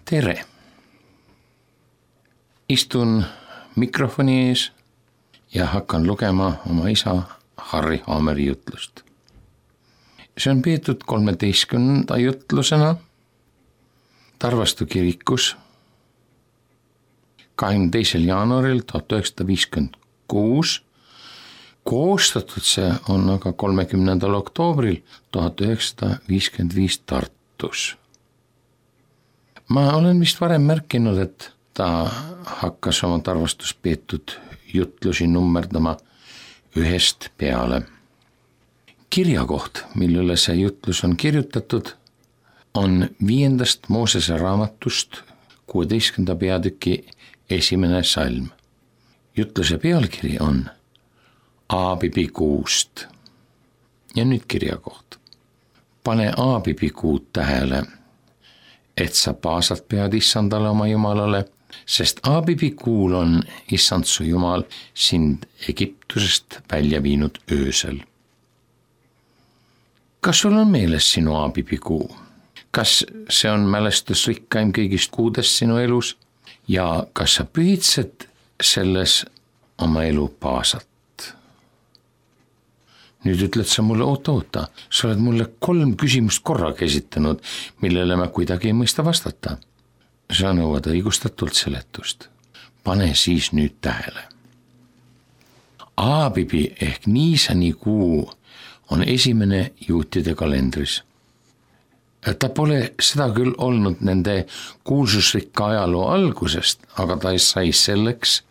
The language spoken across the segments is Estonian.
Tere! Istun mikrofoni ees ja hakkan lugema oma isa Harri Haameri jutlust. See on peetud 13. jutlusena Tarvastu kirikus 22. jaanuaril 1956. Koostatud see on aga 30. oktoobril 1955 Tartus. Ma olen vist varem märkinud, et ta hakkas oma Tarvastus peetud jutlusi nummerdama ühest peale. Kirjakoht, millele see jutlus on kirjutatud, on 5. Moosese raamatust 16. peatüki 1. salm. Jutluse pealkiri on Aabibi kuust. Ja nüüd kirjakoht. Pane Aabibi kuud tähele, et sa paasalt pead issandale oma jumalale, sest Aabibi kuul on issand su jumal sind Egiptusest välja viinud öösel. Kas sul on meeles sinu Aabibi kuu? Kas see on mälestusrikkaim kõigist kuudest sinu elus ja kas sa pühitsed selles oma elu paasalt? Nüüd ütled sa mulle, oota, sa oled mulle 3 küsimust korraga esitanud, millele ma kuidagi ei mõista vastata. Sa nõuad õigustatult seletust. Pane siis nüüd tähele. Aabibi ehk Niisani kuu on 1. juutide kalendris. Ta pole seda küll olnud nende kuulsusrikka ajaloo algusest, aga ta sai selleks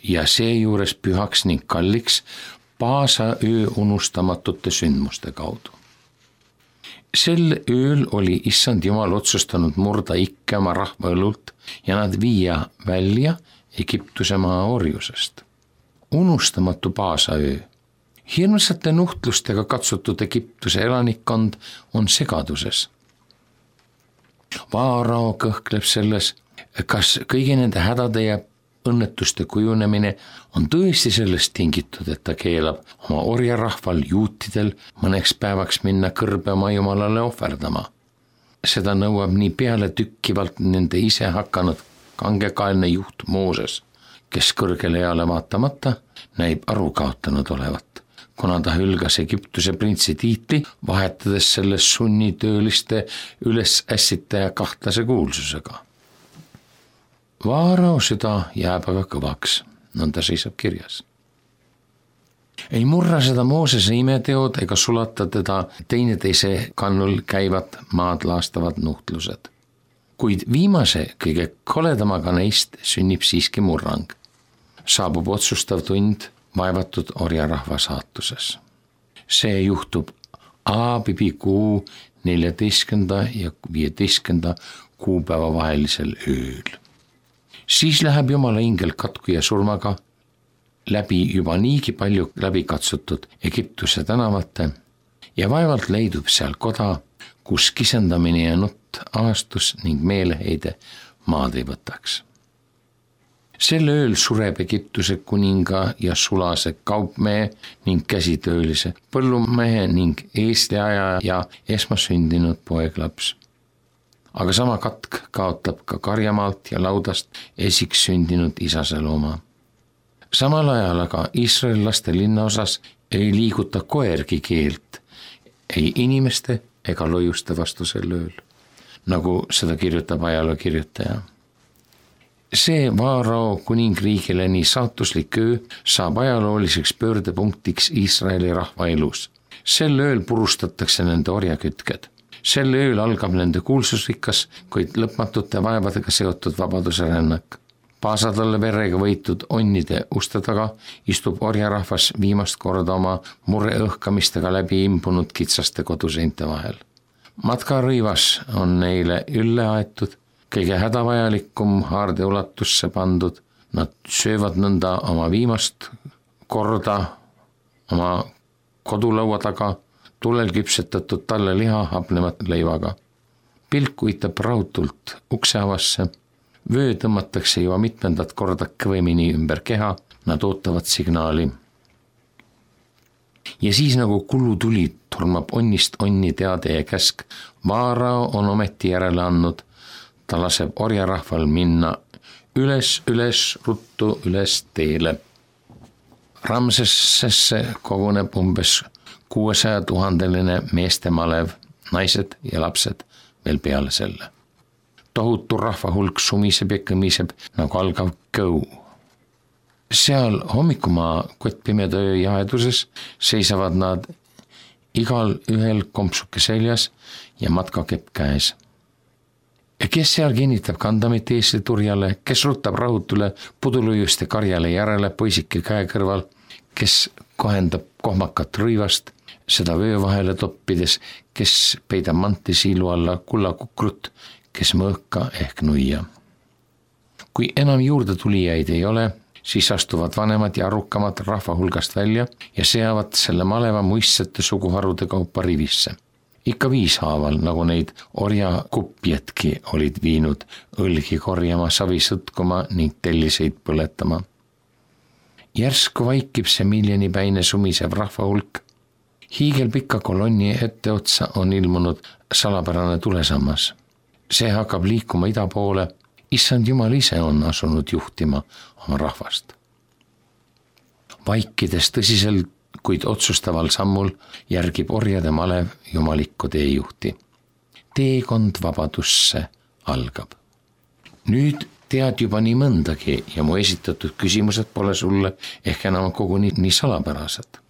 ja seejuures pühaks ning kalliks Paasa öö unustamatute sündmuste kaudu. Sel ööl oli issand jumal otsustanud murda ikke oma rahva õlult ja nad viia välja Egiptuse maa orjusest. Unustamatu Paasa öö. Hirmsate nuhtlustega katsutud Egiptuse elanikkond on segaduses. Vaarao kõhkleb selles, kas kõigi nende hädade ja õnnetuste kujunemine on tõesti sellest tingitud, et ta keelab oma orjarahval juutidel mõneks päevaks minna kõrbe oma jumalale ohverdama. Seda nõuab nii peale tükkivalt nende ise hakanud kangekaelne juht Mooses, kes kõrgele eale vaatamata näib aru kaotanud olevat, kuna ta hülgas Egiptuse printsi tiitli, vahetades selles sunnitööliste üles ässitaja kahtlase kuulsusega. Vaarao süda jääb aga kõvaks, nõnda seisab kirjas. Ei murra seda Moosese imeteod ega sulata teda teineteise kannul käivad maad laastavad nuhtlused. Kuid viimase kõige koledamaga neist sünnib siiski murrang. Saabub otsustav tund vaevatud orjarahva saatuses. See juhtub Aabibi kuu 14. ja 15. kuupäeva vahelisel ööl. Siis läheb Jumala ingel katku ja surmaga läbi juba niigi palju läbikatsutud Egiptuse tänavate ja vaevalt leidub seal koda, kus kisendamine ja nutt aastus ning meeleheide maad ei võtaks. Sel ööl sureb Egiptuse kuninga ja sulase kaupmehe ning käsitöölise, põllumehe ning eestleaja ja esmasündinud poeglaps. Aga sama katk kaotab ka karjamaalt ja laudast esiks sündinud isase looma. Samal ajal aga Iisraellaste linnaosas ei liiguta koergi keelt, ei inimeste ega lojuste vastu sel ööl, nagu seda kirjutab ajaloo kirjutaja. See Vaarao kuningriigile nii saatuslik öö saab ajalooliseks pöördepunktiks Iisraeli rahva elus. Sel ööl purustatakse nende orjakütked. Sel ööl algab nende kuulsusrikas, kuid lõpmatute vaevadega seotud vabaduse rännak. Paasadalle verega võitud onnide uste taga istub orjarahvas viimast korda oma murre õhkamistega läbi imbunud kitsaste koduseinte vahel. Matkarõivas on neile ülle aetud, kõige hädavajalikum haarde ulatusse pandud. Nad söövad nõnda oma viimast korda oma kodulaua taga, tulel küpsetatud talle liha hapnemat leivaga. Pilk uitab raudult ukseavasse, vöö tõmmatakse juba mitmendat korda kõvemini ümber keha, nad ootavad signaali. Ja siis nagu kullutuli tormab onnist onni teade ja käsk. Vaarao on ometi järele andnud, ta laseb orjarahval minna üles ruttu üles teele. Ramsessesse koguneb umbes 600 000 meeste malev, naised ja lapsed veel peale selle. Tohutu rahvahulk sumiseb ja kõmiseb nagu algav kõu. Seal hommikumaa kottpimeda öö jaheduses seisavad nad igal ühel kompsuke seljas ja matkakepp käes. Ja kes seal kinnitab kandamit eesli turjale, kes rutab rahutule pudulujuste karjale järele poisike käe kõrval, kes kohendab kohmakat rõivast, seda vöö vahele toppides, kes peidab manti siilu alla kullakukrut, kes mõõka ehk nuia. Kui enam juurde tulijaid ei ole, siis astuvad vanemad ja arrukamad rahva hulgast välja ja seavad selle maleva muistsete suguharude kaupa rivisse. Ikka 5 haaval, nagu neid orjakupjetki olid viinud õlgi korjama, savi sõtkuma ning telliseid põletama. Järsku vaikib see miljonipäine sumisev rahva hulk. Hiigelpika kolonni etteotsa on ilmunud salapärane tulesammas. See hakkab liikuma ida poole. Issand Jumal ise on asunud juhtima oma rahvast. Vaikides tõsiselt, kuid otsustaval sammul järgib orjade malev jumalikku teejuhti. Teekond vabadusse algab. Nüüd tead juba nii mõndagi ja mu esitatud küsimused pole sulle ehk enam koguni nii salapärased.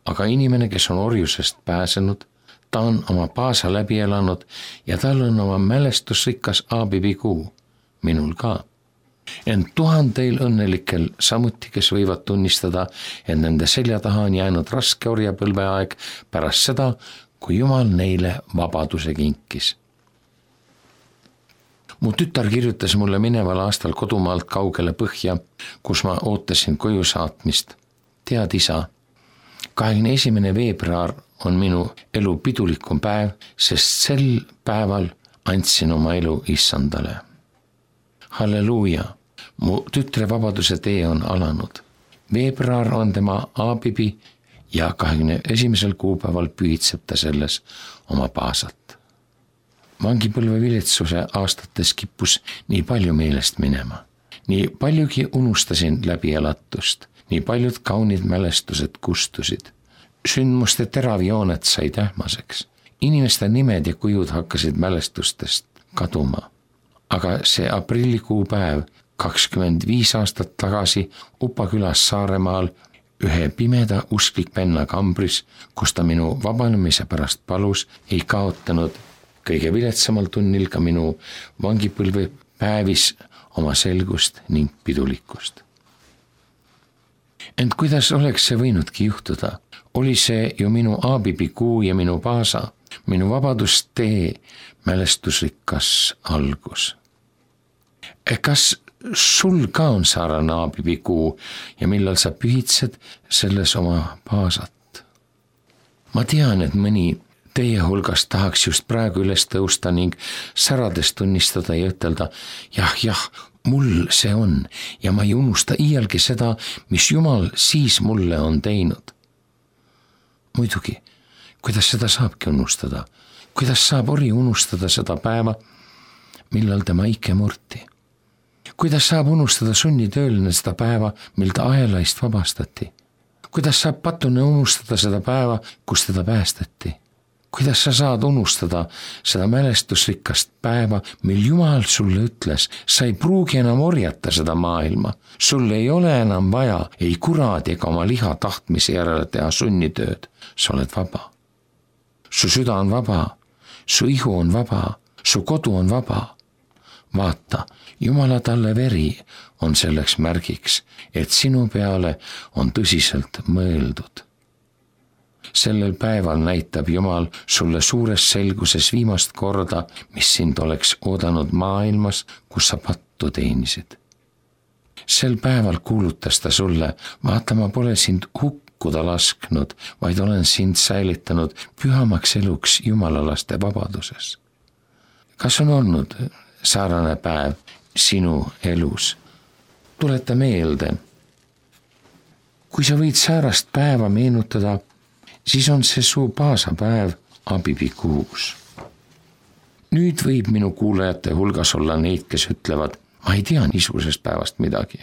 Aga inimene, kes on orjusest pääsenud, ta on oma paasa läbi elanud ja tal on oma mälestusrikas aabibikuu, minul ka. Ent 1000 õnnelikel samuti, kes võivad tunnistada, et nende selja taha on jäänud raske orjapõlveaeg pärast seda, kui Jumal neile vabaduse kinkis. Mu tütar kirjutas mulle mineval aastal kodumaalt kaugele põhja, kus ma ootasin koju saatmist. Tead, isa, 21. veebruar on minu elu pidulikum päev, sest sel päeval andsin oma elu Issandale. Halleluuja, mu tütre vabaduse tee on alanud. Veebruar on tema aabibi ja 21. kuupäeval pühitseb ta selles oma paasat. Vangipõlve viletsuse aastates kippus nii palju meelest minema. Nii paljugi unustasin läbi elatust, nii paljud kaunid mälestused kustusid. Sündmuste teravjooned said ähmaseks. Inimeste nimed ja kujud hakkasid mälestustest kaduma. Aga see aprillikuu päev 25 aastat tagasi Upa külas Saaremaal ühe pimeda usklik venna kambris, kus ta minu vabanemise pärast palus, ei kaotanud kõige viletsamal tunnil ka minu vangipõlve päevis oma selgust ning pidulikkust. Ent kuidas oleks see võinudki juhtuda? Oli see ju minu aabibikuu ja minu paasa, minu vabadustee mälestusrikas algus. Kas sul ka on saarane aabibikuu ja millal sa pühitsed selles oma paasat? Ma tean, et mõni teie hulgast tahaks just praegu üles tõusta ning särades tunnistada ja ütelda, jah, mul see on ja ma ei unusta iialgi seda, mis Jumal siis mulle on teinud. Muidugi, kuidas seda saabki unustada? Kuidas saab ori unustada seda päeva, millal tema ike murti? Kuidas saab unustada sunnitööline seda päeva, mil ta ahelaist vabastati? Kuidas saab patune unustada seda päeva, kus teda päästeti? Kuidas sa saad unustada seda mälestusrikast päeva, mil Jumal sulle ütles, sa ei pruugi enam orjata seda maailma, sul ei ole enam vaja ei kuradi ega oma liha tahtmise järele teha sunnitööd, sa oled vaba. Su süda on vaba, su ihu on vaba, su kodu on vaba. Vaata, Jumala talle veri on selleks märgiks, et sinu peale on tõsiselt mõeldud. Sellel päeval näitab Jumal sulle suures selguses viimast korda, mis sind oleks oodanud maailmas, kus sa pattu teenisid. Sel päeval kuulutas ta sulle, vaata, ma pole sind hukkuda lasknud, vaid olen sind säilitanud pühamaks eluks jumalalaste vabaduses. Kas on olnud saarane päev sinu elus? Tuleta meelde. Kui sa võid säärast päeva meenutada, siis on see su paasapäev abibikuus. Nüüd võib minu kuulajate hulgas olla neid, kes ütlevad, ma ei tea niisugusest päevast midagi.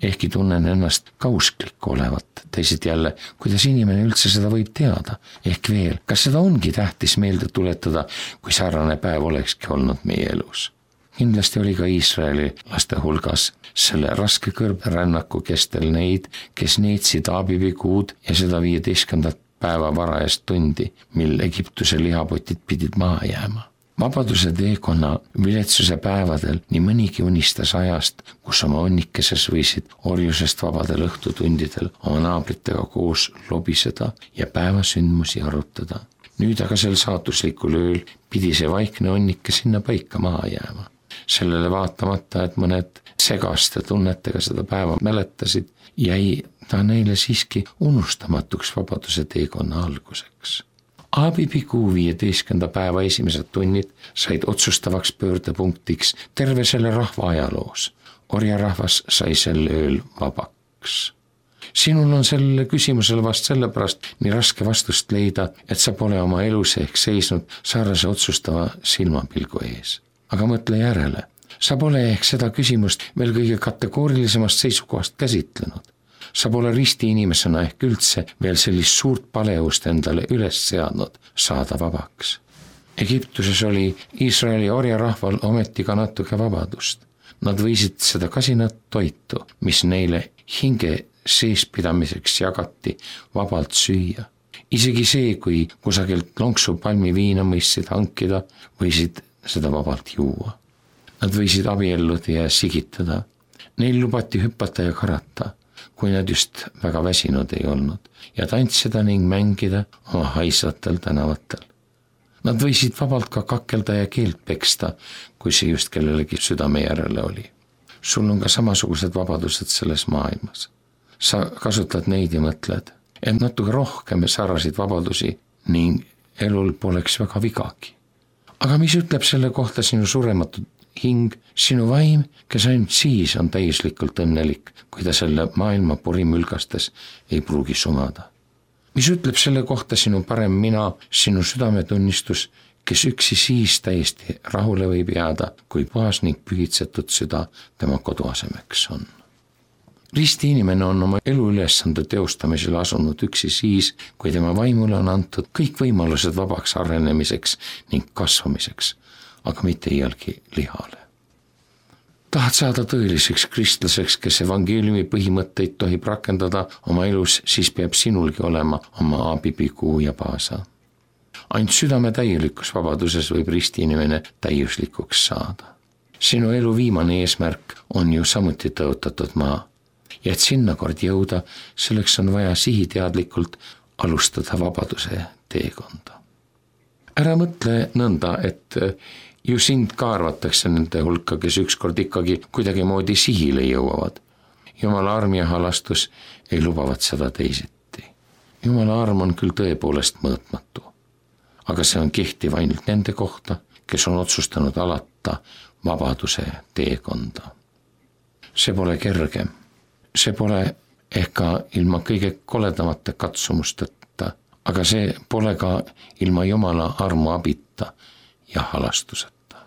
Ehkki tunnen ennast ka usklik olevat. Teised jälle, kuidas inimene üldse seda võib teada? Ehk veel, kas seda ongi tähtis meelde tuletada, kui sarnane päev olekski olnud meie elus? Kindlasti oli ka Iisraeli laste hulgas selle raske kõrberännaku kestel neid, kes neetsid aabibikuud ja seda 15. päeva varajast tundi, mil Egiptuse lihapotid pidid maha jääma. Vabaduse teekonna viletsuse päevadel nii mõnigi unistas ajast, kus oma onnikeses võisid orjusest vabadel õhtutundidel oma naabritega koos lobiseda ja päevasündmusi arutada. Nüüd aga sel saatuslikul ööl pidi see vaikne onnike sinna paika maha jääma. Sellele vaatamata, et mõned segaste tunnetega seda päeva mäletasid, jäi ta neile siiski unustamatuks vabaduse teekonna alguseks. Aabibikuu 15. päeva esimesed tunnid said otsustavaks pöördepunktiks terve selle rahva ajaloos. Orjarahvas sai sel ööl vabaks. Sinul on sellele küsimusele vast sellepärast nii raske vastust leida, et sa pole oma elus ehk seisnud sarnase otsustava silmapilgu ees. Aga mõtle järele, sa pole ehk seda küsimust veel kõige kategoorilisemast seisukohast käsitlenud. Sa pole risti inimesena ehk üldse veel sellist suurt paleust endale üles seadnud saada vabaks. Egiptuses oli Iisraeli orjarahval ometi ka natuke vabadust. Nad võisid seda kasinat toitu, mis neile hinge seespidamiseks jagati, vabalt süüa. Isegi see, kui kusagilt lonksu palmi viina mõistsid hankida, võisid seda vabalt juua. Nad võisid abielluda ja sigitada. Neil lubati hüppata ja karata, kui nad just väga väsinud ei olnud, ja tantsida ning mängida oma haisvatel tänavatel. Nad võisid vabalt ka kakelda ja keelt peksta, kui see just kellelegi südame järele oli. Sul on ka samasugused vabadused selles maailmas. Sa kasutad neid ja mõtled, et natuke rohkem sarnaseid vabadusi ning elul poleks väga vigagi. Aga mis ütleb selle kohta sinu surematu hing, sinu vaim, kes ainult siis on täiuslikult õnnelik, kui ta selle maailma porimülgastes ei pruugi sumada? Mis ütleb selle kohta sinu parem mina, sinu südametunnistus, kes üksi siis täiesti rahule võib jääda, kui puhas ning pühitsetud süda tema koduasemeks on? Risti inimene on oma eluülesande teostamisel asunud üksi siis, kui tema vaimule on antud kõik võimalused vabaks arenemiseks ning kasvamiseks, aga mitte iialgi lihale. Tahad saada tõeliseks kristlaseks, kes evangeeliumi põhimõtteid tohib rakendada oma elus, siis peab sinulgi olema oma aabibikuu ja paasa. Ainult südame täielikus vabaduses võib risti inimene täiuslikuks saada. Sinu elu viimane eesmärk on ju samuti tõotatud maa. Ja et sinna kord jõuda, selleks on vaja sihiteadlikult alustada vabaduse teekonda. Ära mõtle nõnda, et ju sind ka arvatakse nende hulka, kes ükskord ikkagi kuidagi moodi sihile jõuavad. Jumala arm ja halastus ei lubavat seda teisiti. Jumala arm on küll tõepoolest mõõtmatu, aga see on kehtiv ainult nende kohta, kes on otsustanud alata vabaduse teekonda. See pole kerge. See pole ehk ka ilma kõige koledamate katsumusteta, aga see pole ka ilma Jumala armu abita ja halastuseta.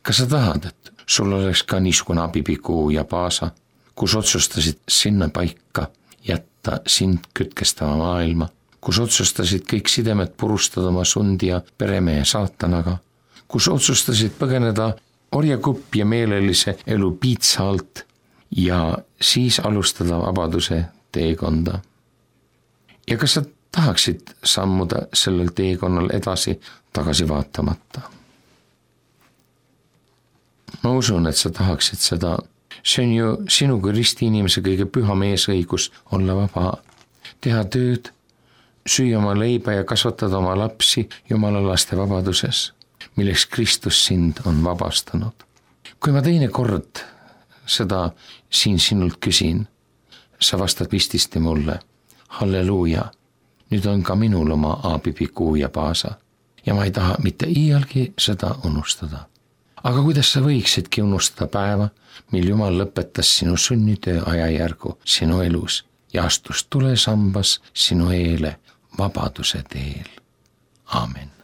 Kas sa tahad, et sul oleks ka niisugune abibikuu ja paasa, kus otsustasid sinna paika jätta sind kütkestava maailma, kus otsustasid kõik sidemed purustada oma sundi ja peremehe saatanaga, kus otsustasid põgeneda orjakupp ja meelelise elu piitsa alt ja siis alustada vabaduse teekonda. Ja kas sa tahaksid sammuda sellel teekonnal edasi tagasi vaatamata? Ma usun, et sa tahaksid seda. See on ju sinu kui risti inimese kõige püha meesõigus olla vaba, teha tööd, süüa oma leiba ja kasvatada oma lapsi Jumala laste vabaduses, milleks Kristus sind on vabastanud. Kui ma teine kord seda siin sinult küsin, sa vastad vististi mulle, halleluuja, nüüd on ka minul oma aabibikuu ja paasa ja ma ei taha mitte iialgi seda unustada. Aga kuidas sa võiksidki unustada päeva, mil Jumal lõpetas sinu sünnitöö ajajärgu sinu elus ja astus tulesambas sinu eele vabaduse teel. Aamen.